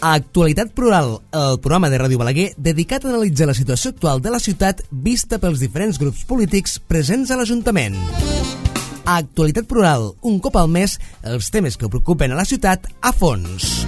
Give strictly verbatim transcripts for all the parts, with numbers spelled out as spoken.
A Actualitat Plural, el programa de Ràdio Balaguer dedicat a analitzar la situació actual de la ciutat vista pels diferents grups polítics presents a l'Ajuntament. A Actualitat Plural, un cop al mes, els temes que preocupen a la ciutat a fons.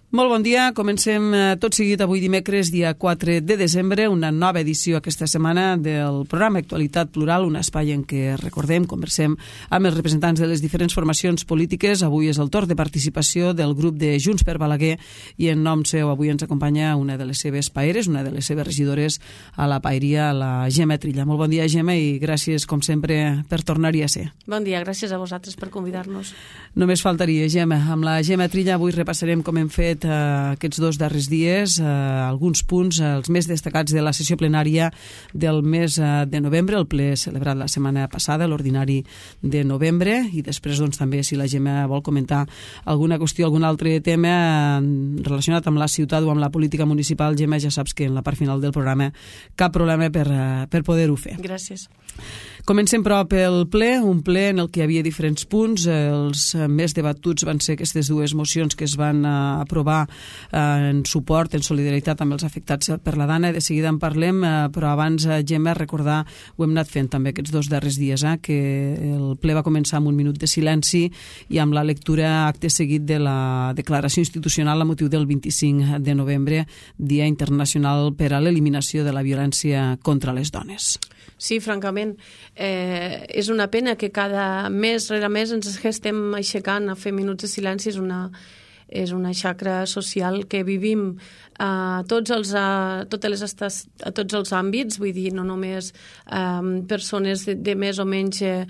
Molt bon dia, comencem tot seguit avui dimecres, dia quatre de desembre, una nova edició aquesta setmana del programa Actualitat Plural, un espai en què recordem, conversem amb els representants de les diferents formacions polítiques. Avui és el torn de participació del grup de Junts per Balaguer i en nom seu avui ens acompanya una de les seves paeres, una de les seves regidores a la paeria, la Gemma Trilla. Molt bon dia, Gemma, i gràcies, com sempre, per tornar-hi a ser. Bon dia, gràcies a vosaltres per convidar-nos. Només faltaria, Gemma. Amb la Gemma Trilla avui repassarem com hem fet Uh, aquests dos darrers dies, uh, alguns punts, uh, els més destacats de la sessió plenària del mes uh, de novembre, el ple celebrat la setmana passada, l'ordinari de novembre, i després doncs, també si la Gemma vol comentar alguna qüestió, algun altre tema uh, relacionat amb la ciutat o amb la política municipal, Gemma, ja saps que en la part final del programa cap problema per, uh, per poder-ho fer. Gràcies. Comencem, però, pel ple, un ple en el que hi havia diferents punts. Els més debatuts van ser aquestes dues mocions que es van uh, aprovar uh, en suport, en solidaritat amb els afectats per la Dana. De seguida en parlem, uh, però abans, uh, Gemma, recordar, ho hem anat fent també aquests dos darrers dies, eh, que el ple va començar amb un minut de silenci i amb la lectura acte seguit de la declaració institucional a motiu del vint-i-cinc de novembre, Dia Internacional per a l'Eliminació de la Violència contra les Dones. Sí, francament, eh, és una pena que cada mes rere mes ens estem aixecant a fer minuts de silenci. És una, és una xacra social que vivim a tots els, a, totes les estats, a tots els àmbits, vull dir, no només um, persones de, de més o menys eh,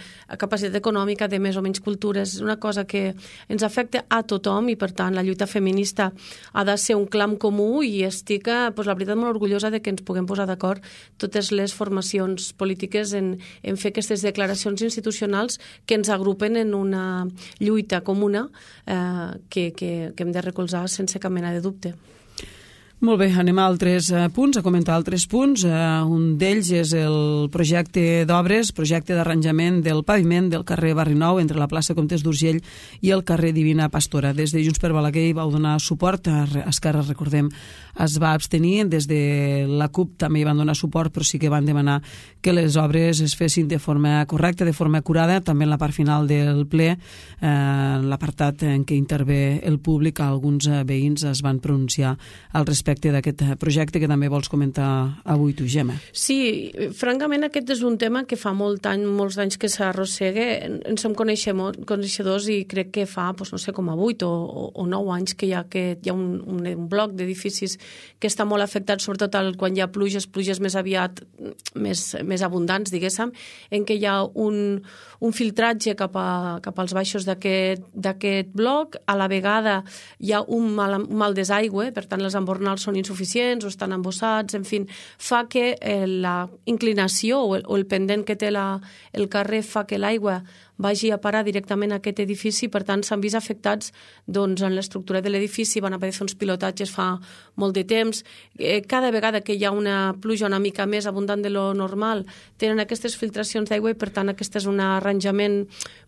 capacitat econòmica, de més o menys cultures. És una cosa que ens afecta a tothom i, per tant, la lluita feminista ha de ser un clam comú i estic, pues, la veritat, molt orgullosa de que ens puguem posar d'acord totes les formacions polítiques en, en fer aquestes declaracions institucionals que ens agrupen en una lluita comuna eh, que, que, que hem de recolzar sense cap mena de dubte. Molt bé, anem a altres uh, punts, a comentar altres punts. Uh, un d'ells és el projecte d'obres, projecte d'arranjament del paviment del carrer Barri Nou entre la plaça Comtes d'Urgell i el carrer Divina Pastora. Des de Junts per Balaguer hi vau donar suport, a Esquerra, recordem, es va abstenir, des de la CUP també hi van donar suport, però sí que van demanar que les obres es fessin de forma correcta, de forma acurada. També en la part final del ple, eh, l'apartat en què intervé el públic, alguns eh, veïns es van pronunciar al respecte d'aquest projecte que també vols comentar avui tu, Gemma. Sí, francament aquest és un tema que fa molt any, molts anys que s'arrossega. En som coneixedors i crec que fa, doncs, no sé, com a vuit o, o nou anys que hi ha, que hi ha un, un, un bloc d'edificis que està molt afectat, sobretot el, quan hi ha pluges, pluges més aviat, més, més abundants, diguéssim, en què hi ha un, un filtratge cap, a, cap als baixos d'aquest bloc. A la vegada hi ha un mal, un mal desaigüe, per tant les embornals són insuficients o estan embossats, en fi, fa que eh, la inclinació o el, o el pendent que té la, el carrer fa que l'aigua vagi a parar directament a aquest edifici. Per tant, s'han vist afectats doncs, en l'estructura de l'edifici, van haver de fer uns pilotatges fa molt de temps. Eh, cada vegada que hi ha una pluja una mica més abundant de lo normal, tenen aquestes filtracions d'aigua i, per tant, aquest és un arranjament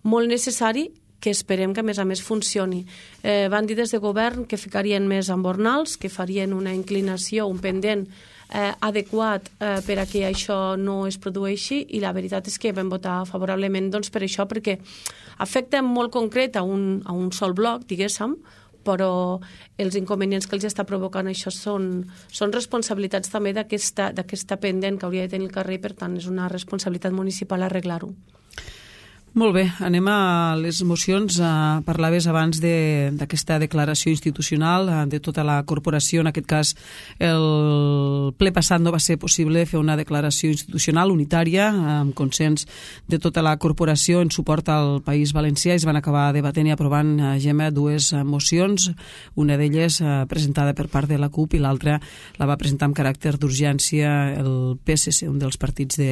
molt necessari que esperem que, a més a més, funcioni. Eh, van dir des de govern que ficarien més embornals, que farien una inclinació, un pendent eh, adequat eh, per a que això no es produeixi, i la veritat és que vam votar favorablement doncs, per això, perquè afecta molt concret a un, a un sol bloc, diguéssim, però els inconvenients que els està provocant això són, són responsabilitats també d'aquesta pendent que hauria de tenir el carrer, i, per tant, és una responsabilitat municipal arreglar-ho. Molt bé, anem a les mocions. Uh, parlaves abans d'aquesta de, declaració institucional uh, de tota la corporació. En aquest cas, el ple passat no va ser possible fer una declaració institucional unitària uh, amb consens de tota la corporació en suport al País Valencià. Es van acabar debatent i aprovant, uh, Gemma, dues uh, mocions, una d'elles uh, presentada per part de la CUP i l'altra la va presentar amb caràcter d'urgència el P S C, un dels partits de,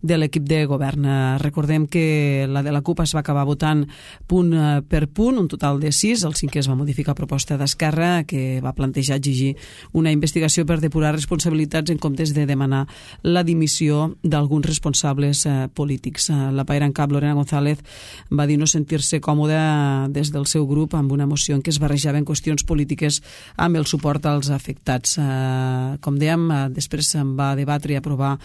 de l'equip de govern. Uh, recordem que la la de la CUP es va acabar votant punt per punt, un total de sis. El cinquè es va modificar a proposta d'Esquerra, que va plantejar exigir una investigació per depurar responsabilitats en comptes de demanar la dimissió d'alguns responsables eh, polítics. La paira en cap, Lorena González, va dir no sentir-se còmoda des del seu grup amb una moció en què es barrejaven qüestions polítiques amb el suport als afectats. Eh, com dèiem, eh, després se'n va debatre i aprovar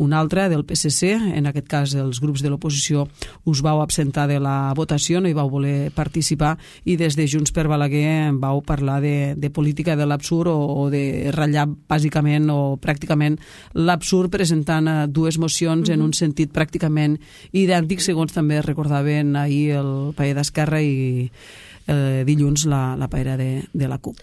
una altra del P S C. En aquest cas, els grups de l'oposició us vau absentar de la votació, no hi vau voler participar, i des de Junts per Balaguer vau parlar de, de política de l'absurd o, o de ratllar bàsicament o pràcticament l'absurd, presentant eh, dues mocions mm-hmm. en un sentit pràcticament idèntic, segons també recordaven ahir el paer d'Esquerra i eh, dilluns la, la paera de, de la CUP.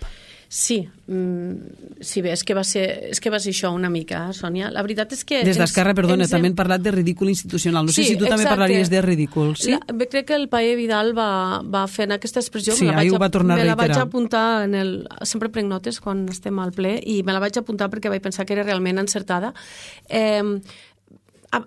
Sí, mm, sí, bé, és que va ser, és que va ser això una mica, Sònia. La veritat és que... Des d'Esquerra, perdona, ens també hem parlat de ridícul institucional. No sí, sé si tu exacte. També parlaries de ridícul, sí? La, bé, crec que el paer Vidal va, va fer aquesta expressió. Sí, ahir ho va tornar a reiterar. Me la vaig apuntar en el... Sempre prenc notes quan estem al ple i me la vaig apuntar perquè vaig pensar que era realment encertada. Eh,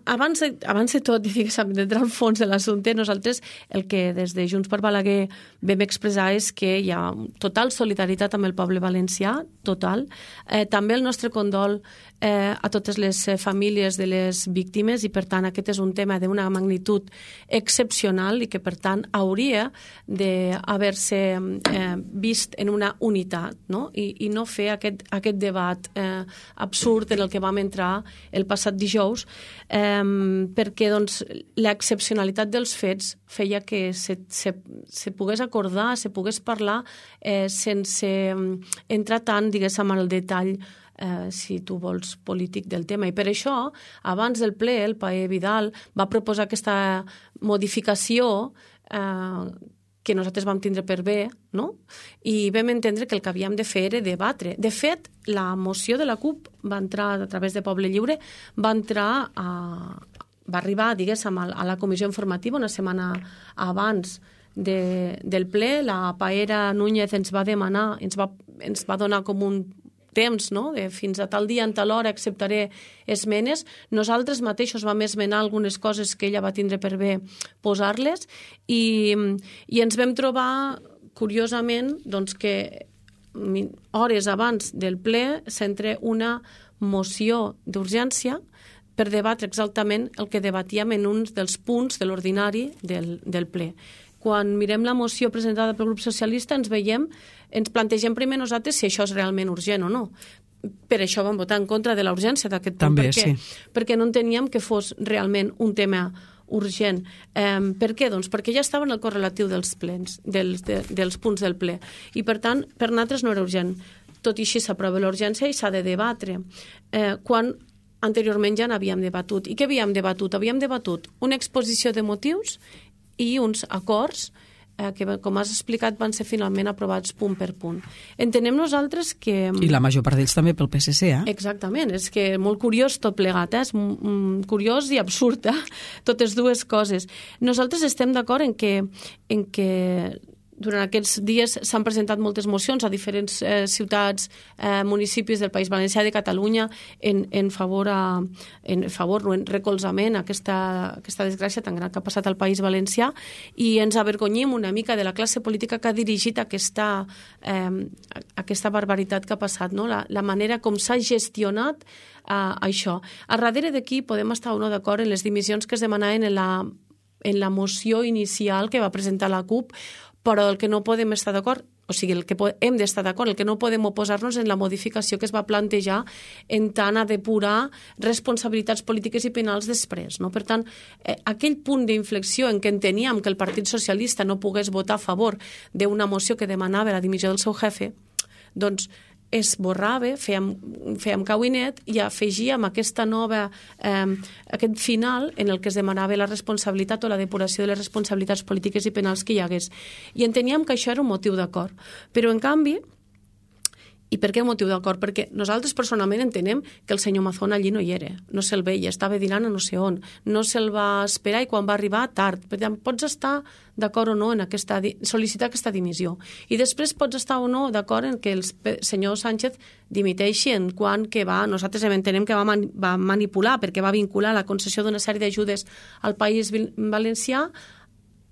Abans de, abans de tot, diguéssim, d'entrar al fons de l'assumpte, nosaltres el que des de Junts per Balaguer vam expressar és que hi ha total solidaritat amb el poble valencià, total. Eh, també el nostre condol eh, a totes les famílies de les víctimes i, per tant, aquest és un tema d'una magnitud excepcional i que, per tant, hauria d'haver-se eh, vist en una unitat, no? I, i no fer aquest, aquest debat eh, absurd en el que vam entrar el passat dijous, eh, perquè doncs, l'excepcionalitat dels fets feia que se, se, se pogués acordar, se pogués parlar eh, sense entrar tant, diguéssim, en el detall Eh, si tu vols, polític del tema. I per això, abans del ple, el paer Vidal va proposar aquesta modificació eh, que nosaltres vam tindre per bé, no? I vam entendre que el que havíem de fer era debatre. De fet, la moció de la CUP va entrar a través de Poble Lliure, va entrar a... va arribar, diguéssim, a la comissió informativa una setmana abans de, del ple. La paera Núñez ens va demanar, ens va, ens va donar com un temps, no? De fins a tal dia, en tal hora, acceptaré esmenes. Nosaltres mateixos vam esmenar algunes coses que ella va tindre per bé posar-les i, i ens vam trobar, curiosament, doncs que hores abans del ple s'entra una moció d'urgència per debatre exactament el que debatíem en un dels punts de l'ordinari del, del ple. Quan mirem la moció presentada pel grup socialista ens veiem, ens plantegem primer nosaltres si això és realment urgent o no. Per això vam votar en contra de la urgència d'aquest punt. També, perquè, sí. Perquè no enteníem que fos realment un tema urgent. Eh, per què? Doncs perquè ja estava en el correlatiu dels plens, dels, de, dels punts del ple. I, per tant, per nosaltres no era urgent. Tot i així s'aprova l'urgència i s'ha de debatre. Eh, quan anteriorment ja n'havíem debatut. I què havíem debatut? Havíem debatut una exposició de motius i uns acords eh, que, com has explicat, van ser finalment aprovats punt per punt. Entenem nosaltres que... I la major part d'ells també pel P S C, eh? Exactament, és que molt curiós tot plegat, eh? És mm, curiós i absurd, eh? Totes dues coses. Nosaltres estem d'acord en que, en que durant aquests dies s'han presentat moltes mocions a diferents eh, ciutats, eh, municipis del País Valencià, de Catalunya, en, en favor, a, en favor no, en recolzament a aquesta, aquesta desgràcia tan gran que ha passat al País Valencià, i ens avergonyim una mica de la classe política que ha dirigit aquesta, eh, aquesta barbaritat que ha passat, no? la, la manera com s'ha gestionat eh, això. A darrere d'aquí podem estar o no d'acord en les dimissions que es demanaven en la, en la moció inicial que va presentar la CUP, però el que no podem estar d'acord, o sigui, el que hem d'estar d'acord, el que no podem oposar-nos en la modificació que es va plantejar en tant a depurar responsabilitats polítiques i penals després, no? Per tant, eh, aquell punt d'inflexió en què enteníem que el Partit Socialista no pogués votar a favor d'una moció que demanava la dimissió del seu jefe, doncs es borrava, fèiem, fèiem cauinet i afegíem aquesta nova, eh, aquest final en el que es demanava la responsabilitat o la depuració de les responsabilitats polítiques i penals que hi hagués. I enteníem que això era un motiu d'acord. Però, en canvi, I per què el motiu d'acord? Perquè nosaltres personalment entenem que el senyor Mazón allí no hi era, no se'l veia, estava dinant a no sé on, no se'l va esperar i quan va arribar tard. Per tant, pots estar d'acord o no en aquesta, sol·licitar aquesta dimissió. I després pots estar o no d'acord en que el senyor Sánchez dimiteixi en quant que va, nosaltres entenem que va, man, va manipular perquè va vincular la concessió d'una sèrie d'ajudes al País Valencià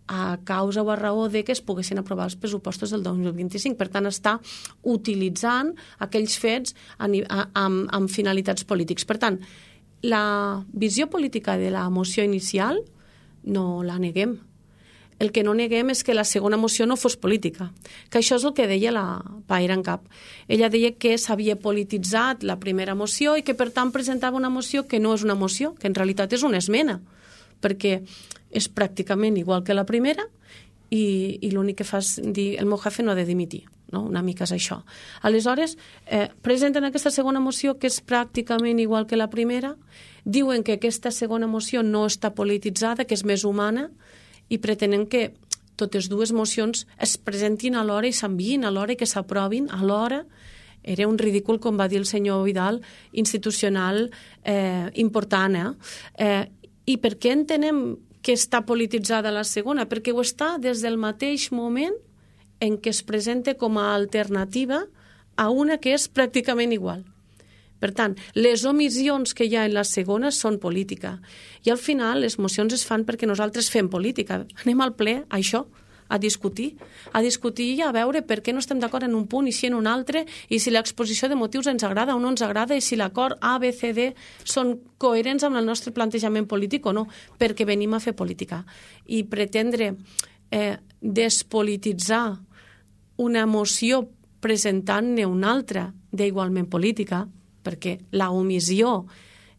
a causa o a raó de que es poguessin aprovar els pressupostos del dos mil vint-i-cinc. Per tant, està utilitzant aquells fets a, a, amb, amb finalitats polítics. Per tant, la visió política de la moció inicial no la neguem. El que no neguem és que la segona moció no fos política, que això és el que deia la Paera en Cap. Ella deia que s'havia polititzat la primera moció i que, per tant, presentava una moció que no és una moció, que en realitat és una esmena, perquè és pràcticament igual que la primera i, i l'únic que fa és dir el meu jefe no ha de dimitir, no? Una mica és això. Aleshores, eh, presenten aquesta segona moció que és pràcticament igual que la primera, diuen que aquesta segona moció no està polititzada, que és més humana, i pretenen que totes dues mocions es presentin alhora i s'enviïn alhora i que s'aprovin alhora. Era un ridícul, com va dir el senyor Vidal, institucional eh, important. Eh? Eh, I per què entenem que està polititzada la segona? Perquè ho està des del mateix moment en què es presenta com a alternativa a una que és pràcticament igual. Per tant, les omissions que hi ha en la segona són política. I al final les mocions es fan perquè nosaltres fem política. Anem al ple a això, a discutir, a discutir i a veure per què no estem d'acord en un punt i si en un altre, i si l'exposició de motius ens agrada o no ens agrada, i si l'acord A, B, C, D són coherents amb el nostre plantejament polític o no, perquè venim a fer política. I pretendre eh, despolititzar una moció presentant-ne una altra d'igualment política, perquè la omissió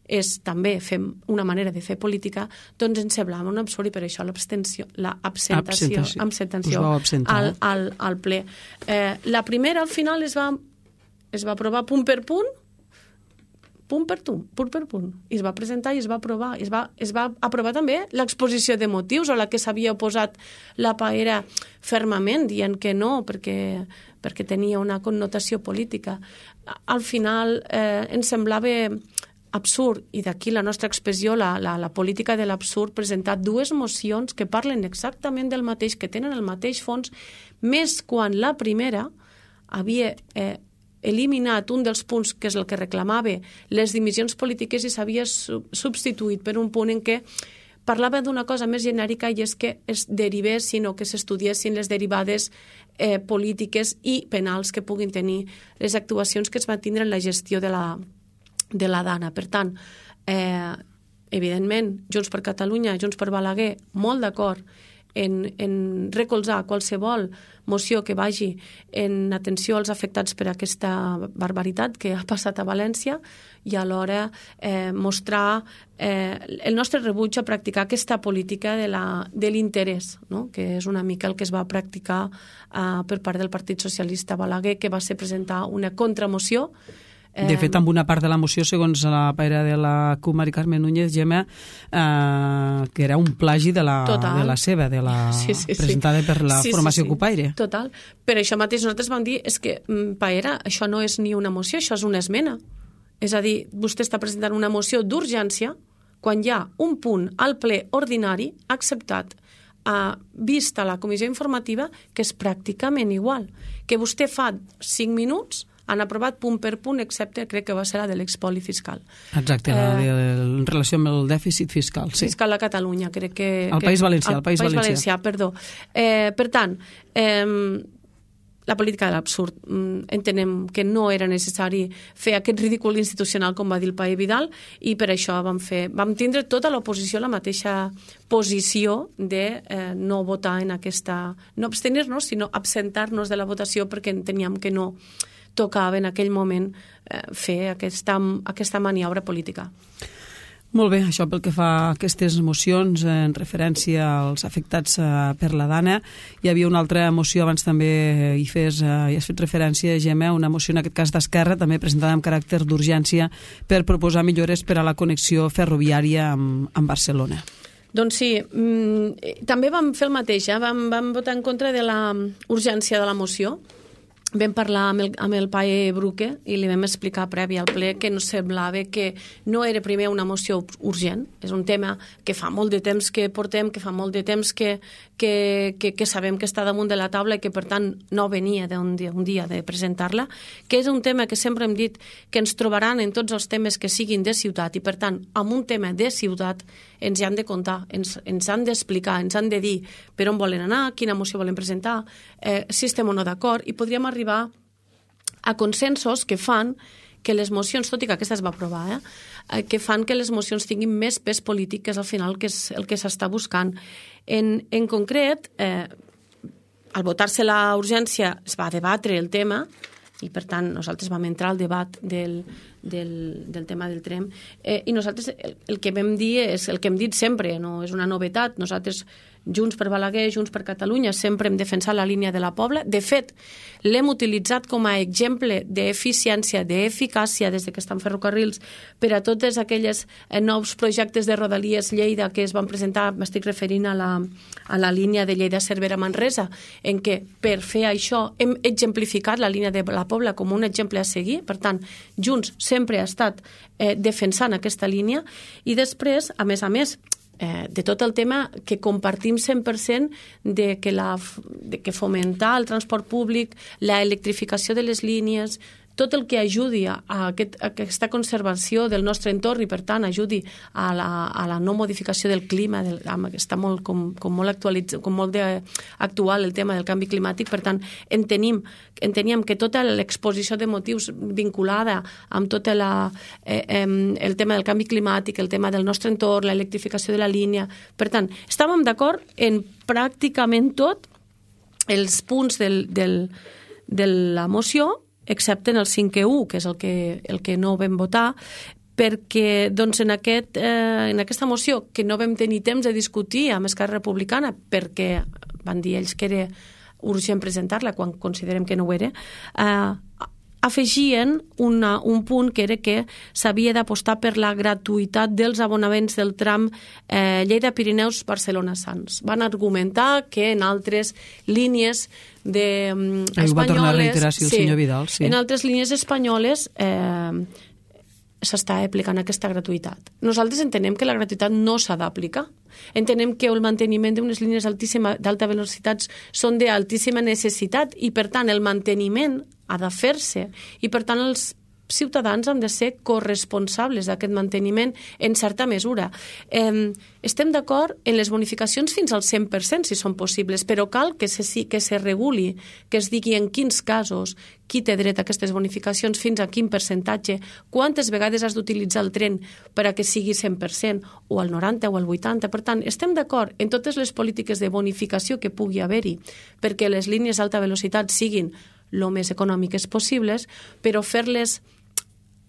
és també fem una manera de fer política, doncs ens semblava un absurd i per això l'abstenció, l'absentació absentació al, al, al ple. Eh, la primera al final es va, es va aprovar punt per punt, punt per punt, punt per punt, i es va presentar i es va aprovar. Es va, es va aprovar també l'exposició de motius, a la que s'havia oposat la Paera fermament, dient que no, perquè, perquè tenia una connotació política. Al final eh, ens semblava absurd, i d'aquí la nostra expressió, la, la, la política de l'absurd, presentar dues mocions que parlen exactament del mateix, que tenen el mateix fons, més quan la primera havia eh, eliminat un dels punts que és el que reclamava les dimissions polítiques i s'havia substituït per un punt en què parlava d'una cosa més genèrica, i és que es derivessin o que s'estudiessin les derivades eh, polítiques i penals que puguin tenir les actuacions que es van tindre en la gestió de la de la Dana. Per tant, eh, evidentment, Junts per Catalunya, Junts per Balaguer, molt d'acord en, en recolzar qualsevol moció que vagi en atenció als afectats per aquesta barbaritat que ha passat a València, i alhora eh, mostrar eh, el nostre rebuig a practicar aquesta política de, la, de l'interès, no? Que és una mica el que es va practicar eh, per part del Partit Socialista Balaguer, que va ser presentar una contramoció. De fet, amb una part de la moció, segons la Paera de la C U, Mari Carmen Núñez, Gemma, eh, que era un plagi de la, de la seva, de la sí, sí, sí. presentada per la sí, formació sí, sí. Cupaire. Total. Per això mateix nosaltres vam dir, és que, Paera, això no és ni una moció, això és una esmena. És a dir, vostè està presentant una moció d'urgència quan hi ha un punt al ple ordinari acceptat, eh, vista la comissió informativa, que és pràcticament igual. Que vostè fa cinc minuts han aprovat punt per punt, excepte, crec que va ser la de l'expoli fiscal. Exacte, eh, de, en relació amb el dèficit fiscal. Sí. Fiscal a Catalunya, crec que... Al País Valencià, al País, País Valencià. Valencià, perdó. Eh, per tant, eh, la política de l'absurd. Entenem que no era necessari fer aquest ridícul institucional, com va dir el Pae Vidal, i per això vam, fer, vam tindre tota l'oposició la mateixa posició de eh, no votar en aquesta... No abstenir-nos, sinó absentar-nos de la votació, perquè enteníem que no tocava en aquell moment eh, fer aquesta, aquesta maniobra política. Molt bé, això pel que fa a aquestes mocions en referència als afectats eh, per la Dana. Hi havia una altra moció, abans també hi, fes, eh, hi has fet referència, Gemma, una moció en aquest cas d'Esquerra, també presentada amb caràcter d'urgència per proposar millores per a la connexió ferroviària amb, amb Barcelona. Doncs sí, mm, també vam fer el mateix, eh? vam, vam votar en contra de la urgència de la moció, vam parlar amb el, amb el Pae Bruque i li vam explicar previ al ple que ens semblava que no era primer una moció urgent, és un tema que fa molt de temps que portem, que fa molt de temps que, que, que, que sabem que està damunt de la taula i que per tant no venia d'un dia, un dia de presentar-la, que és un tema que sempre hem dit que ens trobaran en tots els temes que siguin de ciutat i per tant amb un tema de ciutat ens hi han de contar, ens, ens han d'explicar, ens han de dir per on volen anar, quina moció volen presentar, eh, si estem o no d'acord i podríem arribar arribar a consensos que fan que les mocions, tot i que aquesta es va aprovar, eh, que fan que les mocions tinguin més pes polític, que és al final que és el que s'està buscant. En, en concret, eh, al votar-se la urgència es va debatre el tema i per tant nosaltres vam entrar al debat del, del, del tema del tren eh, i nosaltres el, el que vam dir és el que hem dit sempre, no és una novetat, nosaltres Junts per Balaguer, Junts per Catalunya sempre hem defensat la línia de la Pobla, de fet l'hem utilitzat com a exemple d'eficiència, d'eficàcia des que estan ferrocarrils per a totes aquelles eh, nous projectes de Rodalies Lleida que es van presentar, m'estic referint a la, a la línia de Lleida-Cervera-Manresa, en què per fer això hem exemplificat la línia de la Pobla com un exemple a seguir, per tant Junts sempre ha estat eh, defensant aquesta línia i després, a més a més, Eh, de tot el tema que compartim cent per cent de que, la, de que fomentar el transport públic, la electrificació de les línies, tot el que ajudi a, aquest, a aquesta conservació del nostre entorn i, per tant, ajudi a la, a la no modificació del clima, del, està molt, com, com molt, actualitz, com molt de, actual el tema del canvi climàtic, per tant, entenim, enteníem que tota l'exposició de motius vinculada amb tot la, eh, eh, el tema del canvi climàtic, el tema del nostre entorn, l'electrificació de la línia, per tant, estàvem d'acord en pràcticament tot els punts del, del, de la moció, excepte en el cinquè u, que és el que, el que no vam votar, perquè doncs, en, aquest, eh, en aquesta moció, que no vam tenir temps de discutir amb Esquerra Republicana, perquè van dir ells que era urgent presentar-la, quan considerem que no ho era, eh, afegien una, un punt que era que s'havia d'apostar per la gratuïtat dels abonaments del tram eh, Lleida-Pirineus-Barcelona-Sants. Van argumentar que en altres línies de, um, espanyoles... Va tornar a reiterar, sí, el sí, senyor Vidal. Sí. En altres línies espanyoles eh, s'està aplicant aquesta gratuïtat. Nosaltres entenem que la gratuïtat no s'ha d'aplicar. Entenem que el manteniment d'unes línies d'alta velocitat són d'altíssima necessitat i, per tant, el manteniment ha de fer-se i, per tant, els ciutadans han de ser corresponsables d'aquest manteniment en certa mesura. Eh, estem d'acord en les bonificacions fins al cent per cent, si són possibles, però cal que se, que se reguli, que es digui en quins casos, qui té dret a aquestes bonificacions, fins a quin percentatge, quantes vegades has d'utilitzar el tren per a que sigui cent per cent, o al noranta o al vuitanta. Per tant, estem d'acord en totes les polítiques de bonificació que pugui haver-hi perquè les línies d'alta velocitat siguin el més econòmiques possibles, però fer-les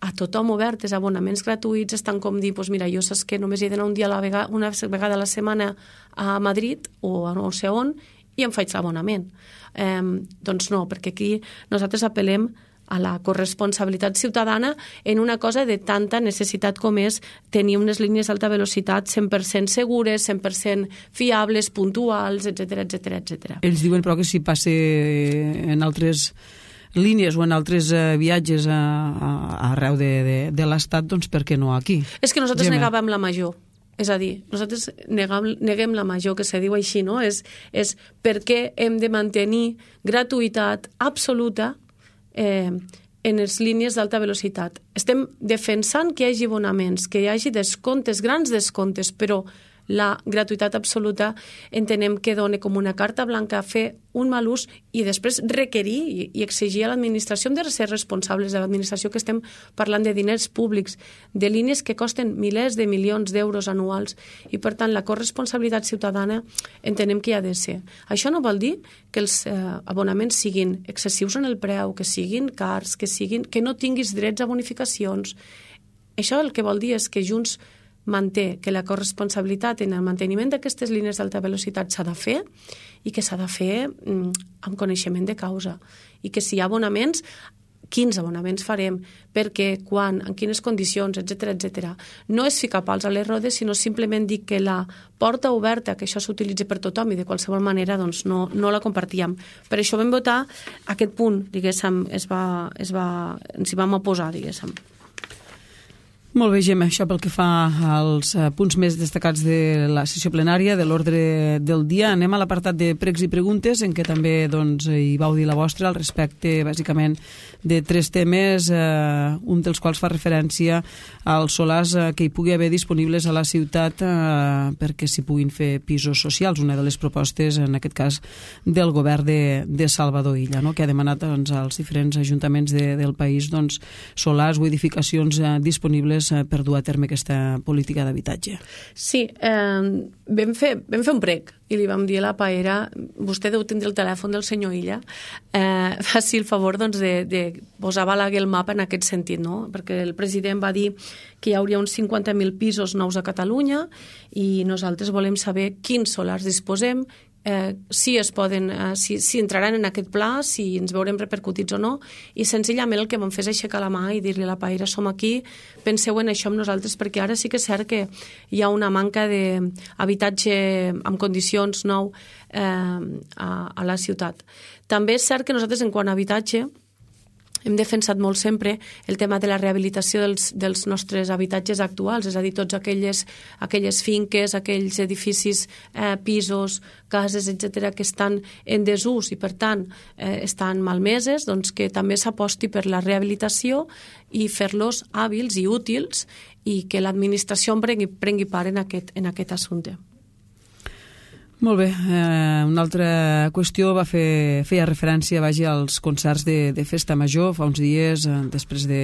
a tothom obertes, abonaments gratuïts, és tant com dir, doncs mira, jo saps que només he d'anar un dia a la vegada, una vegada a la setmana a Madrid o a no sé on i em faig l'abonament. Eh, doncs no, perquè aquí nosaltres apel·lem a la corresponsabilitat ciutadana en una cosa de tanta necessitat com és tenir unes línies d'alta velocitat cent per cent segures, cent per cent fiables, puntuals, etcètera, etcètera, etcètera. Ells diuen, però, que si passa en altres línies o en altres uh, viatges a, a, arreu de, de, de l'Estat, doncs per què no aquí? És que nosaltres Gemma. negàvem la major. És a dir, nosaltres negam, neguem la major, que se diu així, no? És, és per què hem de mantenir gratuïtat absoluta eh, en les línies d'alta velocitat. Estem defensant que hi hagi abonaments, que hi hagi descomptes, grans descomptes, però la gratuïtat absoluta entenem que dona com una carta blanca a fer un mal ús i després requerir i, i exigir a l'administració. Hem de ser responsables de l'administració, que estem parlant de diners públics, de línies que costen milers de milions d'euros anuals i, per tant, la corresponsabilitat ciutadana entenem que hi ha de ser. Això no vol dir que els eh, abonaments siguin excessius en el preu, que siguin cars, que, siguin, que no tinguis drets a bonificacions. Això el que vol dir és que Junts manté que la corresponsabilitat en el manteniment d'aquestes línies d'alta velocitat s'ha de fer i que s'ha de fer mm, amb coneixement de causa i que si hi ha abonaments quins abonaments farem, per què, quan, en quines condicions, etcètera, etcètera. No és ficar pals a les rodes, sinó simplement dir que la porta oberta, que això s'utilitzi per tothom i de qualsevol manera doncs no, no la compartíem. Per això vam votar aquest punt, diguéssim, es va, es va, ens hi vam oposar, diguéssim. Molt bé, Gemma, això pel que fa als punts més destacats de la sessió plenària, de l'ordre del dia. Anem a l'apartat de pregs i preguntes, en què també doncs, hi vau dir la vostra al respecte, bàsicament, de tres temes, eh, un dels quals fa referència als solars eh, que hi pugui haver disponibles a la ciutat eh, perquè s'hi puguin fer pisos socials, una de les propostes, en aquest cas, del govern de, de Salvador Illa, no? Que ha demanat doncs, als diferents ajuntaments de, del país doncs, solars o edificacions eh, disponibles per dur a terme aquesta política d'habitatge. Sí, eh, vam, fer, vam fer un prec i li vam dir a la paera, vostè deu tindre el telèfon del senyor Illa, eh, faci el favor doncs, de, de posar Balaguer el mapa en aquest sentit, no? Perquè el president va dir que hi hauria uns cinquanta mil pisos nous a Catalunya i nosaltres volem saber quins solars disposem, Eh, si es poden, eh, si, si entraran en aquest pla, si ens veurem repercutits o no, i senzillament el que vam fer és aixecar la mà i dir-li a la paera, som aquí, penseu en això amb nosaltres, perquè ara sí que és cert que hi ha una manca d'habitatge en condicions nou eh, a, a la ciutat. També és cert que nosaltres en quant a habitatge hem defensat molt sempre el tema de la rehabilitació dels, dels nostres habitatges actuals, és a dir, tots aquelles, aquelles finques, aquells edificis, eh, pisos, cases, etcètera, que estan en desús i, per tant, eh, estan malmeses, doncs que també s'aposti per la rehabilitació i fer-los hàbils i útils i que l'administració en prengui, prengui part en aquest, en aquest assumpte. Molt bé, eh, una altra qüestió va fer, feia referència vagi, als concerts de, de festa major. Fa uns dies, eh, després de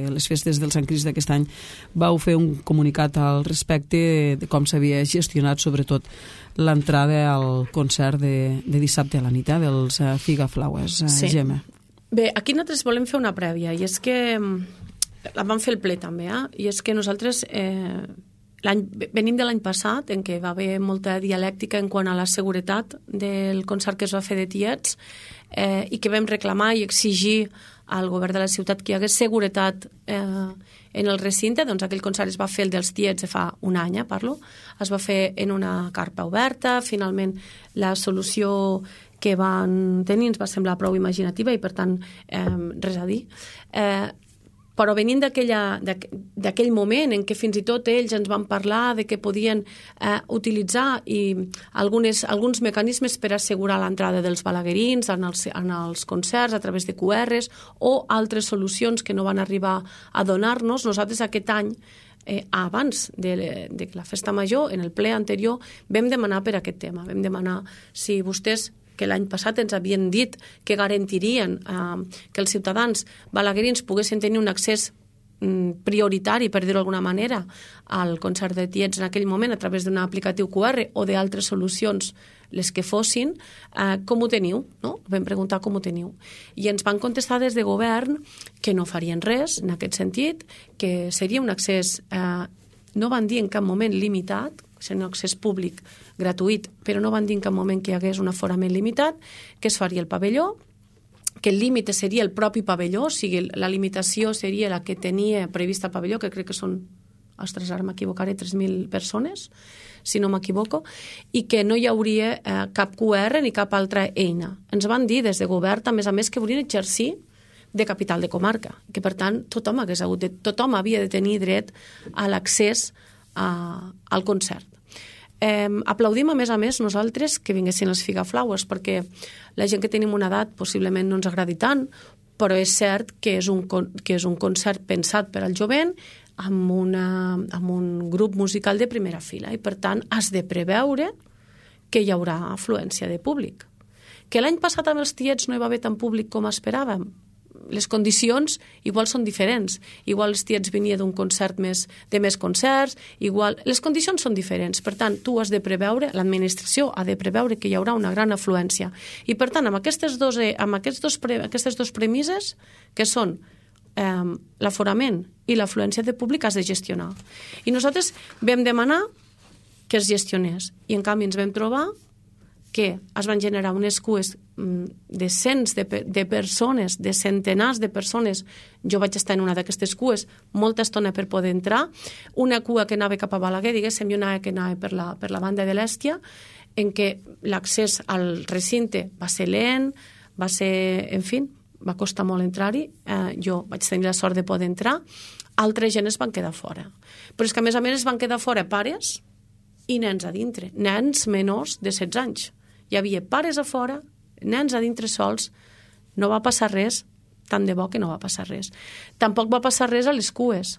les festes del Sant Crist d'aquest any, vau fer un comunicat al respecte de com s'havia gestionat sobretot l'entrada al concert de, de dissabte a la nit, eh, dels eh, Figaflaues. Eh, sí. Gemma. Bé, aquí nosaltres volem fer una prèvia i és que la vam fer el ple també, eh? I és que nosaltres eh, venim de l'any passat, en què va haver molta dialèctica en quant a la seguretat del concert que es va fer de Tiets eh, i que vam reclamar i exigir al govern de la ciutat que hi hagués seguretat eh, en el recinte. Doncs aquell concert es va fer, el dels Tiets, de fa un any, eh, parlo. Es va fer en una carpa oberta. Finalment, la solució que van tenir ens va semblar prou imaginativa i, per tant, eh, res a dir. Eh, però venint d'aquell moment en què fins i tot ells ens van parlar de que podien eh, utilitzar i algunes, alguns mecanismes per assegurar l'entrada dels balaguerins en els, en els concerts a través de Q Rs o altres solucions que no van arribar a donar-nos, nosaltres aquest any, eh, abans de, de la festa major, en el ple anterior, vam demanar per aquest tema. Vam demanar si vostès, que l'any passat ens havien dit que garantirien eh, que els ciutadans balaguerins poguessin tenir un accés mm, prioritari, per dir-ho d'alguna manera, al concert de Tiets en aquell moment a través d'un aplicatiu Q R o d'altres solucions, les que fossin, eh, com ho teniu? No? Vam preguntar com ho teniu. I ens van contestar des de govern que no farien res en aquest sentit, que seria un accés, eh, no van dir en cap moment limitat, seria un accés públic gratuït, però no van dir en cap moment que hi hagués un aforament limitat, que es faria el pavelló, que el límit seria el propi pavelló, o sigui, la limitació seria la que tenia prevista el pavelló, que crec que són, ostres, ara m'equivocaré, tres mil persones, si no m'equivoco, i que no hi hauria eh, cap Q R ni cap altra eina. Ens van dir des de govern, a més a més, que volien exercir de capital de comarca, que per tant tothom, hagués hagut de, tothom havia de tenir dret a l'accés a, al concert. Eh, aplaudim a més a més nosaltres que vinguessin les Figaflaues, perquè la gent que tenim una edat possiblement no ens agradi tant, però és cert que és un, que és un concert pensat per al jovent amb, una, amb un grup musical de primera fila i per tant has de preveure que hi haurà afluència de públic. Que l'any passat amb els Tiets no hi va haver tant públic com esperàvem. Les condicions igual són diferents. Igual els Tiets venia d'un concert més, de més concerts, igual... Les condicions són diferents. Per tant, tu has de preveure, l'administració ha de preveure que hi haurà una gran afluència. I per tant, amb aquestes dos, amb aquests dos, aquestes dos premisses, que són eh, l'aforament i l'afluència de públic, has de gestionar. I nosaltres vam demanar que es gestionés. I en canvi ens vam trobar que es van generar unes cues de cents de, de persones, de centenars de persones. Jo vaig estar en una d'aquestes cues molta estona per poder entrar, una cua que anava cap a Balaguer, diguéssim, i una que anava per la, per la banda de l'Èstia, en què l'accés al recinte va ser lent, va ser, en fi, va costar molt entrar-hi. Eh, jo vaig tenir la sort de poder entrar. Altra gent es van quedar fora. Però és que, a més a més, es van quedar fora pares i nens a dintre, nens menors de setze anys. Hi havia pares a fora, nens a dintre sols. No va passar res, tant de bo que no va passar res. Tampoc va passar res a les cues.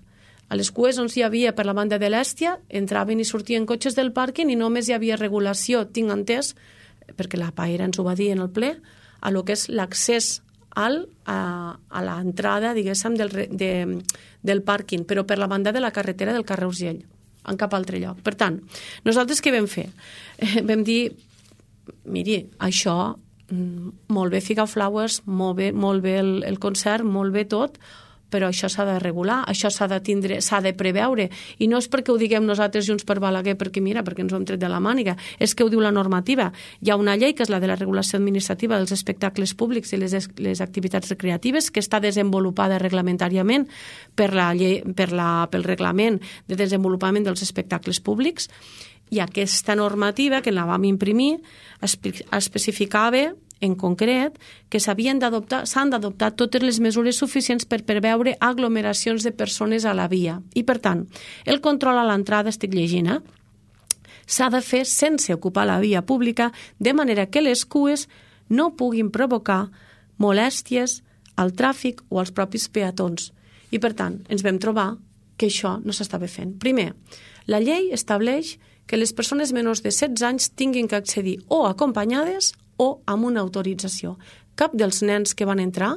A les cues on hi havia per la banda de l'Èstia, entraven i sortien cotxes del pàrquing i només hi havia regulació, tinc entès, perquè la Paera ens ho va dir en el ple, a lo que és l'accés al, a, a l'entrada, diguéssim, del, de, del pàrquing, però per la banda de la carretera del carrer Urgell, en cap altre lloc. Per tant, nosaltres què vam fer? Eh, vam dir, miri, això, molt bé Figa Flowers, molt bé, molt bé el, el concert, molt bé tot, però això s'ha de regular, això s'ha de tindre, s'ha de preveure, i no és perquè ho diguem nosaltres Junts per Balaguer, perquè mira, perquè ens ho hem tret de la màniga, és que ho diu la normativa. Hi ha una llei, que és la de la regulació administrativa dels espectacles públics i les, les activitats recreatives, que està desenvolupada reglamentàriament per la llei, per la, pel reglament de desenvolupament dels espectacles públics, i aquesta normativa, que la vam imprimir, especificava en concret, que s'havien d'adoptar, s'han d'adoptar totes les mesures suficients per preveure aglomeracions de persones a la via. I, per tant, el control a l'entrada, estic llegint, eh? s'ha de fer sense ocupar la via pública, de manera que les cues no puguin provocar molèsties al tràfic o als propis peatons. I, per tant, ens vam trobar que això no s'estava fent. Primer, la llei estableix que les persones menors de setze anys tinguin que accedir o acompanyades o amb una autorització. Cap dels nens que van entrar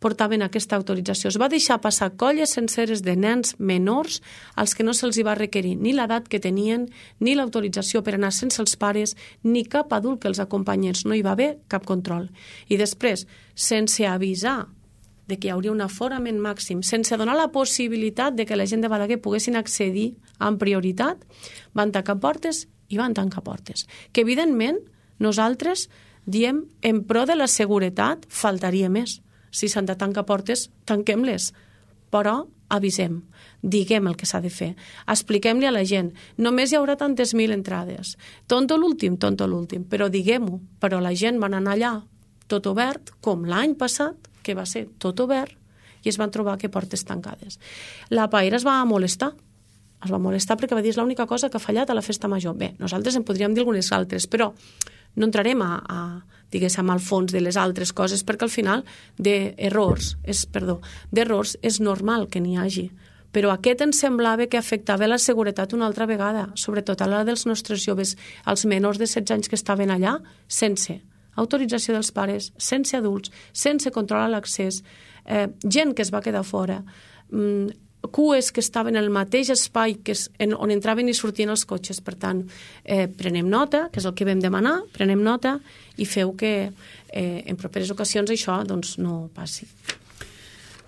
portaven aquesta autorització. Es va deixar passar colles senceres de nens menors als que no se'ls va requerir ni l'edat que tenien, ni l'autorització per anar sense els pares, ni cap adult que els acompanyés. No hi va haver cap control. I després, sense avisar de que hi hauria un aforament màxim, sense donar la possibilitat de que la gent de Balaguer poguessin accedir amb prioritat, van tancar portes i van tancar portes. Que, evidentment, nosaltres diem, en pro de la seguretat, faltaria més. Si s'han de tancar portes, tanquem-les. Però avisem, diguem el que s'ha de fer. Expliquem-li a la gent, només hi haurà tantes mil entrades. Tonto l'últim, tonto l'últim, però diguem-ho. Però la gent van anar allà tot obert, com l'any passat, que va ser tot obert, i es van trobar que portes tancades. La Paera es va molestar. Es va molestar perquè va dir, és l'única cosa que ha fallat a la festa major. Bé, nosaltres en podríem dir algunes altres, però no entrarem a, a diguéssim, al fons de les altres coses, perquè al final d'errors, és, perdó, d'errors és normal que n'hi hagi. Però aquest ens semblava que afectava la seguretat una altra vegada, sobretot a l'hora dels nostres joves, els menors de setze anys que estaven allà, sense autorització dels pares, sense adults, sense control a l'accés, eh, gent que es va quedar fora, mm, cues que estaven en el mateix espai que és en, on entraven i sortien els cotxes. Per tant, eh, prenem nota, que és el que vam demanar, prenem nota i feu que eh, en properes ocasions això doncs, no passi.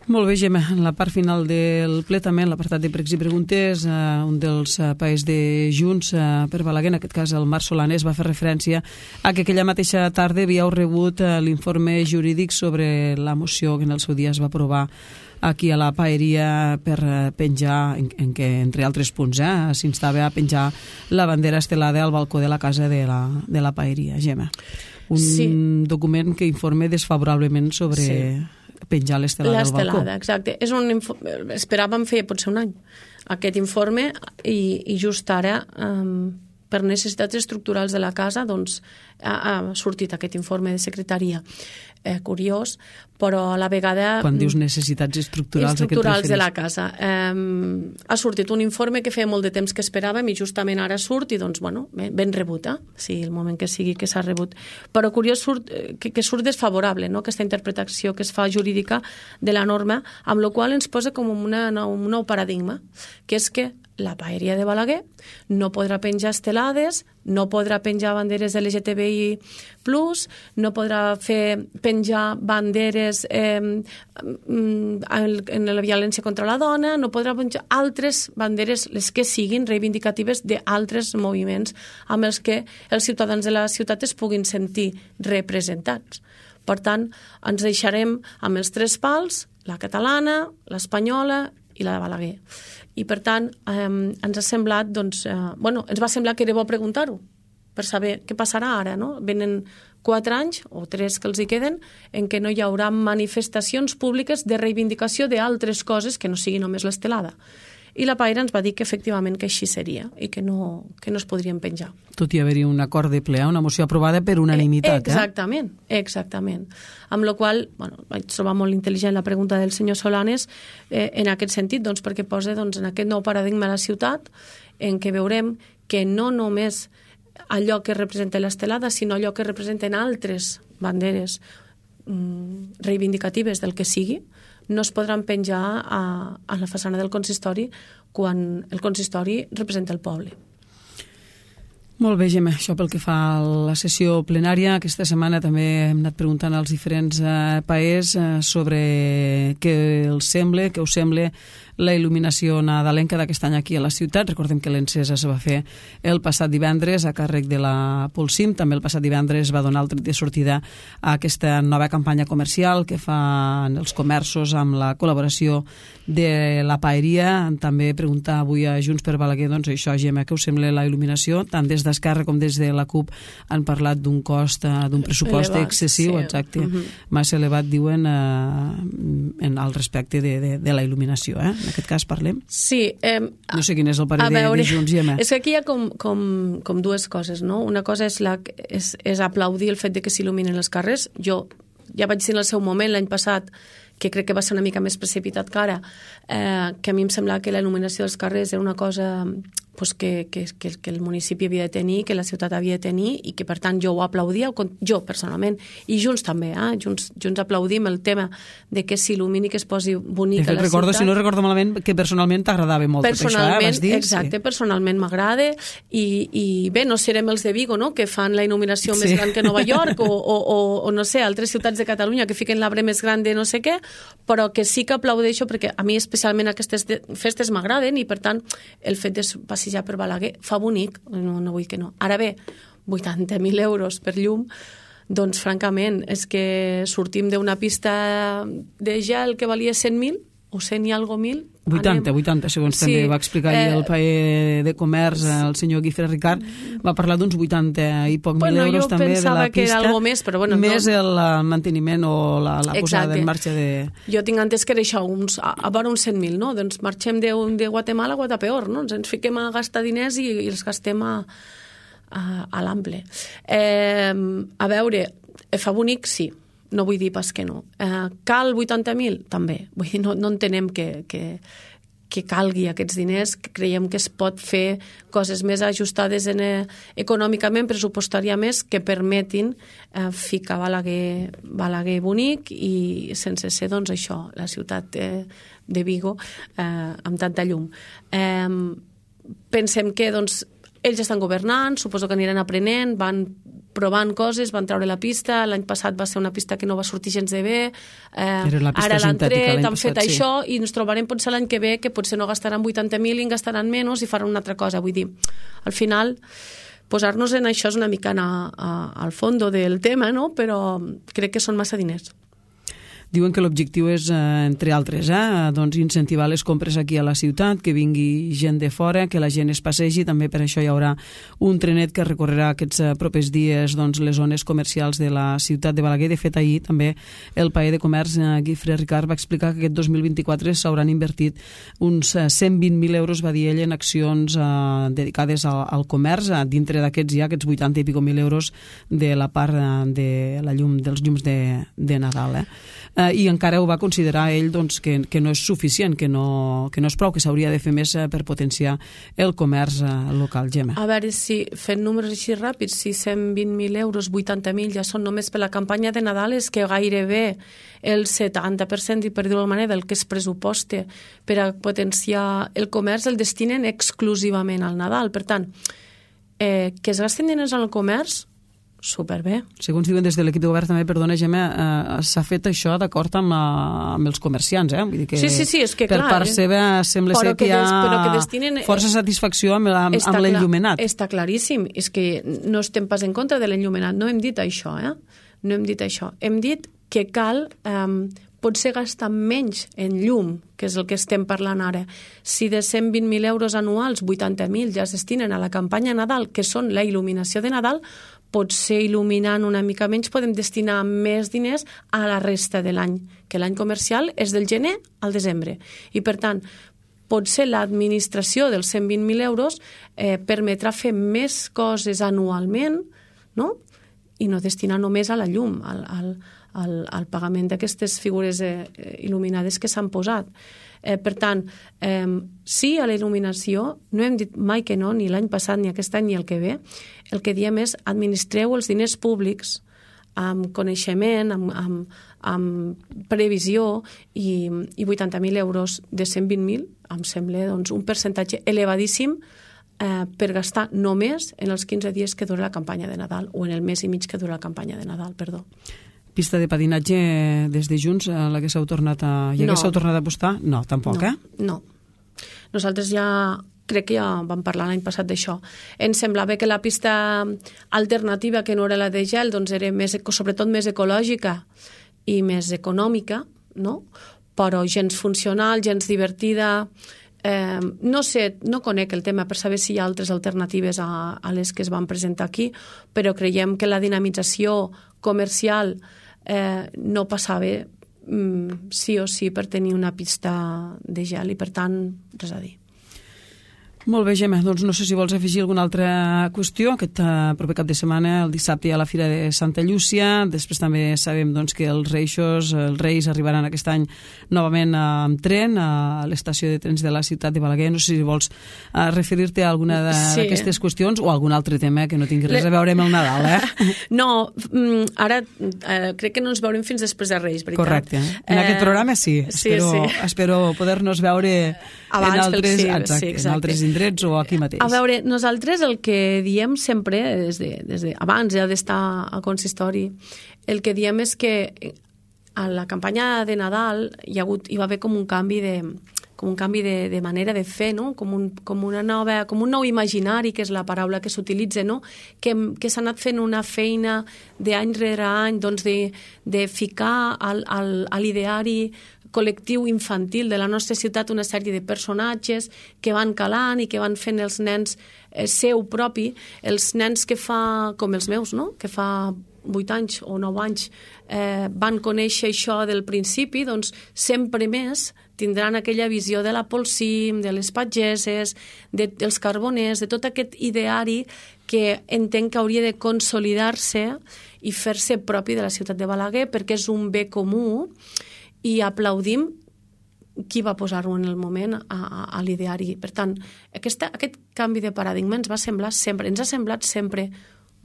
Molt bé, Gemma. En la part final del ple també, en l'apartat de pregs i preguntes, eh, un dels eh, paers de Junts eh, per Balaguer, en aquest cas el Marc Solanes, va fer referència a que aquella mateixa tarda havíeu rebut eh, l'informe jurídic sobre la moció que en el seu dia es va aprovar aquí a la paeria per penjar, en, en què, entre altres punts, eh, s'instava a penjar la bandera estelada al balcó de la casa de la, de la paeria. Gemma, un sí. document que informa desfavorablement sobre sí. penjar l'estelada al balcó. L'estelada, exacte. És un esperàvem fer potser un any aquest informe i, i just ara, um, per necessitats estructurals de la casa, doncs ha, ha sortit aquest informe de secretaria. Eh, curiós, però a la vegada... Quan dius necessitats estructurals, estructurals de la casa. Eh, ha sortit un informe que feia molt de temps que esperàvem i justament ara surt i doncs, bueno, ben, ben rebut, eh? Sí, el moment que sigui que s'ha rebut. Però curiós surt, que, que surt desfavorable, no?, aquesta interpretació que es fa jurídica de la norma, amb la qual ens posa com una, un nou paradigma, que és que la paeria de Balaguer no podrà penjar estelades, no podrà penjar banderes L G T B I plus, no podrà fer penjar banderes banderes eh, en la violència contra la dona, no podrà penjar altres banderes, les que siguin reivindicatives d'altres moviments amb els que els ciutadans de la ciutat es puguin sentir representats. Per tant, ens deixarem amb els tres pals, la catalana, l'espanyola i la de Balaguer. I, per tant, eh, ens ha semblat, doncs, eh, bueno, ens va semblar que era bo preguntar-ho, per saber què passarà ara, no? Venen quatre anys, o tres que els hi queden, en què no hi haurà manifestacions públiques de reivindicació d'altres coses que no sigui només l'estelada. I la Paire ens va dir que efectivament que així seria i que no, que no es podrien penjar. Tot i haver-hi un acord de ple, una moció aprovada per unanimitat. Eh, exactament, eh? exactament. Amb la qual cosa, bueno, vaig trobar molt intel·ligent la pregunta del senyor Solanes eh, en aquest sentit, doncs, perquè posa doncs, en aquest nou paradigma a la ciutat en què veurem que no només allò que representa l'estelada, sinó allò que representen altres banderes mm, reivindicatives del que sigui, no es podran penjar a, a la façana del consistori quan el consistori representa el poble. Molt bé, Gemma, això pel que fa a la sessió plenària. Aquesta setmana també hem anat preguntant als diferents eh, paers eh, sobre què els sembla, què us sembla la il·luminació nadalenca d'aquest any aquí a la ciutat. Recordem que l'encesa es va fer el passat divendres a càrrec de la Polsim. També el passat divendres va donar el tret de sortida a aquesta nova campanya comercial que fan els comerços amb la col·laboració de la Paeria. També preguntar avui a Junts per Balaguer, doncs això, Gemma, què us sembla la il·luminació? Tant des d'Esquerra com des de la CUP han parlat d'un cost, d'un pressupost elevat, excessiu, sí. Exacte, uh-huh. massa elevat, diuen, eh, en al respecte de, de, de la il·luminació, eh? En aquest cas parlem? Sí. Eh, no sé quin és el parer de, de Junts, Gemma. És que aquí hi ha com, com, com dues coses, no? Una cosa és, la, és, és aplaudir el fet de que s'il·luminen els carrers. Jo ja vaig dir en el seu moment, l'any passat, que crec que va ser una mica més precipitat que ara, eh, que a mi em semblava que la il·luminació dels carrers era una cosa pues, que, que, que, que el municipi havia de tenir, que la ciutat havia de tenir, i que, per tant, jo ho aplaudia, jo personalment, i Junts també, eh? Junts, Junts aplaudim el tema de que s'il·lumini, que es posi bonic fet, a la recordo, ciutat. Si no recordo malament, que personalment t'agradava molt tot això, eh? Vas dir? Exacte, sí. Personalment m'agrada, i, i bé, no serem els de Vigo, no?, que fan la il·luminació sí. més gran que Nova York, o, o, o, o no sé, altres ciutats de Catalunya que fiquen l'arbre més gran de no sé què, però que sí que aplaudeixo perquè a mi especialment aquestes festes m'agraden i, per tant, el fet de passejar per Balaguer fa bonic, no, no vull que no. Ara bé, vuitanta mil euros per llum, doncs francament és que sortim d'una pista de gel que valia cent mil o cent i algo mil. vuitanta, vuitanta, segons sí, també va explicar eh, el paer de comerç, el senyor Guifré Ricard, va parlar d'uns vuitanta i poc bueno, mil euros també de la pista. Jo pensava que era algo més, però bueno. Més no. el manteniment o la, la posada en marxa de... Jo tinc entès que era això, uns, a, a vora uns cent mil, no? Doncs marxem de, de Guatemala a Guatapeor, no? Ens, ens fiquem a gastar diners i, i els gastem a, a, a l'ample. Eh, a veure, fa bonic, sí. No vull dir pas que no. Eh, cal vuitanta mil? També. Vull dir, no, no entenem que, que, que calgui aquests diners, que creiem que es pot fer coses més ajustades en, eh, econòmicament, pressupostàriament, que permetin eh, ficar Balaguer, Balaguer bonic i sense ser, doncs, això, la ciutat de, de Vigo eh, amb tanta llum. Eh, pensem que, doncs, ells estan governant, suposo que aniran aprenent, van provant coses, van treure la pista, l'any passat va ser una pista que no va sortir gens de bé, eh, ara l'han tret, han fet sí. això, i ens trobarem potser l'any que ve que potser no gastaran vuitanta mil i en gastaran menys i faran una altra cosa. Vull dir, al final, posar-nos en això és una mica anar a, al fondo del tema, no? Però crec que són massa diners. Diuen que l'objectiu és, eh, entre altres, eh, doncs incentivar les compres aquí a la ciutat, que vingui gent de fora, que la gent es passegi. També per això hi haurà un trenet que recorrerà aquests eh, propers dies doncs, les zones comercials de la ciutat de Balaguer. De fet, ahir també el paer de comerç, eh, Guifré Ricard, va explicar que aquest dos mil vint-i-quatre s'hauran invertit uns eh, cent vint mil euros, va dir ell, en accions eh, dedicades al, al comerç. Eh, dintre d'aquests hi ha aquests vuitanta i pico mil euros de la part eh, de la llum, dels llums de, de Nadal. Eh. Uh, i encara ho va considerar ell doncs, que, que no és suficient, que no, que no és prou, que s'hauria de fer més uh, per potenciar el comerç uh, local. Gemma. A veure, si fent números així ràpids, si cent vint mil euros, vuitanta mil ja són només per la campanya de Nadal, és que gairebé el setanta per cent, i per dir-ho d'alguna manera, del que es pressuposta per a potenciar el comerç el destinen exclusivament al Nadal. Per tant, eh, que es gasten diners al comerç superbé. Segons diuen des de l'equip de govern també, perdona, Gemma, eh, s'ha fet això d'acord amb, amb els comerciants, eh? Vull dir que sí, sí, sí, és que per clar, part eh? seva sembla però ser que, que hi ha des, que destinen, força satisfacció amb, amb, amb l'enllumenat. Està claríssim, és que no estem pas en contra de l'enllumenat, no hem dit això, eh? No hem dit això. Hem dit que cal eh, potser gastar menys en llum, que és el que estem parlant ara. Si de cent vint mil euros anuals, vuitanta mil ja es destinen a la campanya Nadal, que són la il·luminació de Nadal, potser il·luminant una mica menys podem destinar més diners a la resta de l'any, que l'any comercial és del gener al desembre. I per tant, potser l'administració dels cent vint mil euros eh, permetrà fer més coses anualment, no? I no destinar només a la llum, al, al, al, al pagament d'aquestes figures eh, il·luminades que s'han posat. Eh, per tant, eh, sí a la il·luminació, no hem dit mai que no, ni l'any passat, ni aquest any, ni el que ve. El que diem és administreu els diners públics amb coneixement, amb, amb, amb previsió, i, i vuitanta mil euros de cent vint mil em sembla doncs, un percentatge elevadíssim eh, per gastar només en els quinze dies que dura la campanya de Nadal, o en el mes i mig que dura la campanya de Nadal, perdó. Pista de patinatge des de Junts, a la que s'heu tornat a... I no. s'heu tornat a apostar? No, tampoc, no, eh? No. Nosaltres ja... crec que ja vam parlar l'any passat d'això. Ens semblava que la pista alternativa, que no era la de gel, doncs era més, sobretot més ecològica i més econòmica, no? Però gens funcional, gens divertida. Eh, no sé, no conec el tema per saber si hi ha altres alternatives a, a les que es van presentar aquí, però creiem que la dinamització comercial eh, no passava mm, sí o sí per tenir una pista de gel, i per tant, res a dir. Molt bé, Gemma, doncs no sé si vols afegir alguna altra qüestió. Aquest uh, proper cap de setmana, el dissabte, hi ha la Fira de Santa Llúcia. Després també sabem doncs, que els Reixos, els Reis arribaran aquest any novament uh, amb tren a l'estació de trens de la ciutat de Balaguer. No sé si vols uh, referir-te a alguna d'aquestes sí. qüestions o a algun altre tema que no tingui res a veure amb el Nadal, eh? No, ara eh, crec que no ens veurem fins després de Reis, veritat. Correcte. En eh, aquest programa sí. Espero, sí, sí. espero poder-nos veure abans en altres, sí, exacte, sí, en altres indrets o aquí mateix. A veure, nosaltres el que diem sempre, des de, des de abans ja d'estar al consistori, el que diem és que a la campanya de Nadal hi, ha hagut, hi va haver com un canvi de com un canvi de, de manera de fer, no? com, un, com, una nova, com un nou imaginari, que és la paraula que s'utilitza, no? que, que s'ha anat fent una feina d'any rere any, doncs de, de ficar al, al, a l'ideari col·lectiu infantil de la nostra ciutat una sèrie de personatges que van calant i que van fent els nens eh, seu propi, els nens que fa, com els meus, no? que fa vuit anys o nou anys eh, van conèixer això del principi, doncs sempre més tindran aquella visió de la Polsim, de les pageses, de, dels carboners, de tot aquest ideari que entenc que hauria de consolidar-se i fer-se propi de la ciutat de Balaguer, perquè és un bé comú, i aplaudim qui va posar-ho en el moment a, a, a l'ideari. Per tant, aquesta, aquest canvi de paradigma ens va semblar sempre, ens ha semblat sempre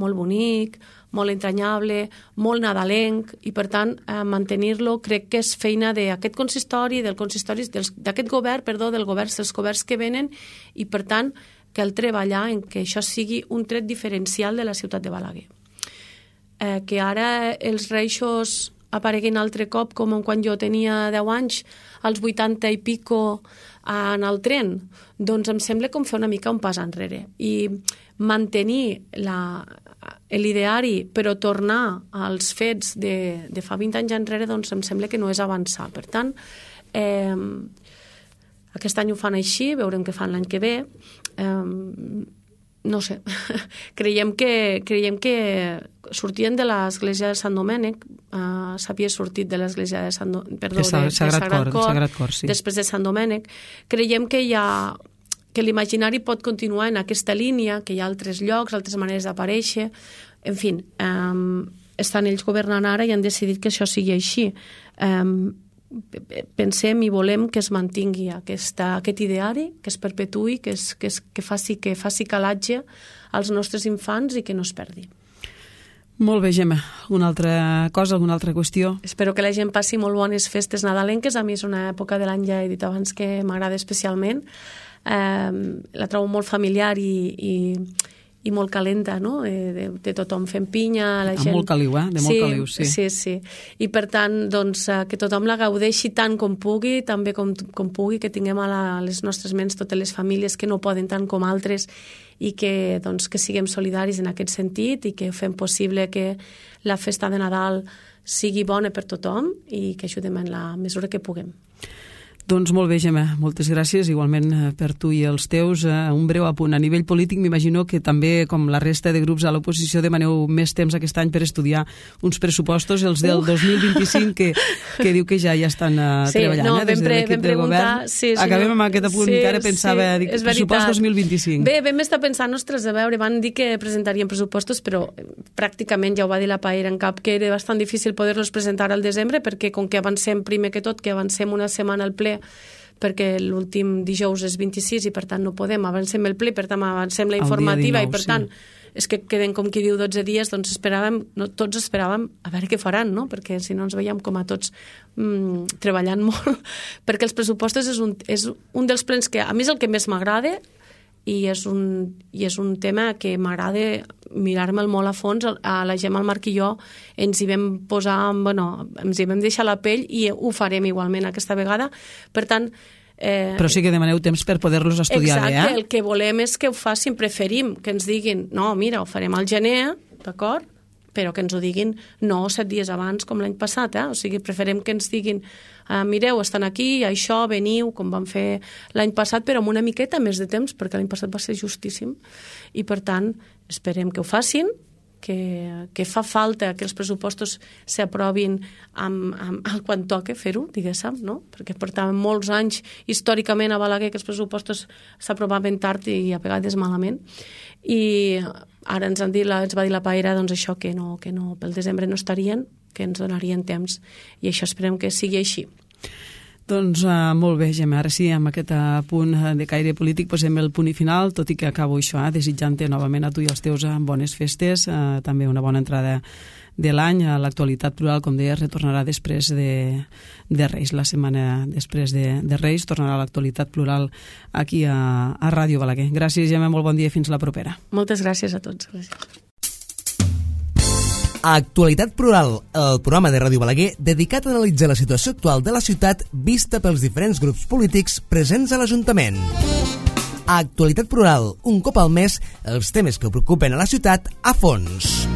molt bonic, molt entranyable, molt nadalenc, i per tant eh, mantenir-lo crec que és feina d'aquest consistori, del consistori d'aquest govern, perdó, del govern, dels governs que venen, i per tant cal treballar en que això sigui un tret diferencial de la ciutat de Balaguer. Eh, que ara els Reixos apareguin altre cop, com quan jo tenia deu anys, als vuitanta i pico en el tren, doncs em sembla com fer una mica un pas enrere. I mantenir la, l'ideari, però tornar als fets de, de fa vint anys enrere, doncs em sembla que no és avançar. Per tant, eh, aquest any ho fan així, veurem què fan l'any que ve. Eh, no sé, creiem que, creiem que sortien de l'església de Sant Domènec, uh, s'havia sortit de l'església de Sant Domènec, perdó, de, Sagrat, de Sagrat Cor, Sagrat Cor sí. Després de Sant Domènec. Creiem que hi ha que l'imaginari pot continuar en aquesta línia, que hi ha altres llocs, altres maneres d'aparèixer. En fi, um, estan ells governant ara i han decidit que això sigui així. Um, pensem i volem que es mantingui aquesta, aquest ideari, que es perpetuï, que, es, que, es, que, faci, que faci calatge als nostres infants i que no es perdi. Molt bé, Gemma. Alguna altra cosa, alguna altra qüestió? Espero que la gent passi molt bones festes nadalenques. A mi és una època de l'any, ja he dit abans, que m'agrada especialment. Eh, la trobo molt familiar i, i, i molt calenta, no? De, de, de tothom fent pinya, la gent... Amb molt caliu, eh? De molt sí, caliu, sí. Sí, sí. I per tant, doncs, que tothom la gaudeixi tant com pugui, també com, com pugui, que tinguem a, la, a les nostres ments totes les famílies que no poden tant com altres i que, doncs, que siguem solidaris en aquest sentit i que fem possible que la festa de Nadal sigui bona per tothom i que ajudem en la mesura que puguem. Doncs molt bé, Gemma, moltes gràcies, igualment per tu i els teus. Un breu apunt. A nivell polític, m'imagino que també, com la resta de grups a l'oposició, demaneu més temps aquest any per estudiar uns pressupostos, els del uh. dos mil vint-i-cinc, que, que diu que ja ja estan uh, sí, treballant, no, eh, des de l'equip de govern. Sí, sí, Acabem no, amb aquest apunt, sí, que ara pensava, sí, dic, pressupost dos mil vint-i-cinc. Bé, vam estar pensant, ostres, a veure, van dir que presentarien pressupostos, però pràcticament ja ho va dir la Paera en cap, que era bastant difícil poder-los presentar al desembre, perquè com que avancem primer que tot, que avancem una setmana al ple, perquè l'últim dijous és vint-i-sis i per tant no podem, avancem el ple, per tant avancem la informativa dinou, i per tant sí. És que queden, com qui diu, dotze dies, doncs esperàvem, no, tots esperàvem a veure què faran, no? Perquè si no ens veiem com a tots mmm, treballant molt, perquè els pressupostos és un, és un dels plens que a mi és el que més m'agrada i és un, i és un tema que m'agrada mirar-me'l molt a fons. A la Gemma, el Marc i jo ens hi vam posar, bueno, ens hi vam deixar la pell i ho farem igualment aquesta vegada. Per tant, Eh, però sí que demaneu temps per poder-los estudiar exacte, bé, eh? Exacte, el que volem és que ho facin, preferim que ens diguin, no, mira, ho farem al gener, d'acord? Però que ens ho diguin no set dies abans com l'any passat, eh? O sigui, preferim que ens diguin, ah, mireu, estan aquí, això, veniu, com vam fer l'any passat, però amb una miqueta més de temps, perquè l'any passat va ser justíssim, i per tant, esperem que ho facin, que, que fa falta que els pressupostos s'aprovin amb, amb, quan toca fer-ho, diguéssim, no? Perquè portàvem molts anys històricament a Balaguer que els pressupostos s'aprovaven tard i a vegades malament, i ara ens, han dit, ens va dir la Paera doncs això, que no, que no, pel desembre no estarien, que ens donarien temps, i això esperem que sigui així. Doncs uh, molt bé, Gemma, ara sí, amb aquest uh, punt de caire polític posem el punt i final, tot i que acabo això, eh, desitjant-te novament a tu i als teus uh, bones festes, uh, també una bona entrada de l'any. A l'actualitat plural, com deies, retornarà després de, de Reis, la setmana després de, de Reis, tornarà a l'actualitat plural aquí a, a Ràdio Balaguer. Gràcies, Gemma, molt bon dia i fins la propera. Moltes gràcies a tots. Gràcies. Actualitat Plural, el programa de Ràdio Balaguer dedicat a analitzar la situació actual de la ciutat vista pels diferents grups polítics presents a l'Ajuntament. Actualitat Plural, un cop al mes, els temes que preocupen a la ciutat a fons.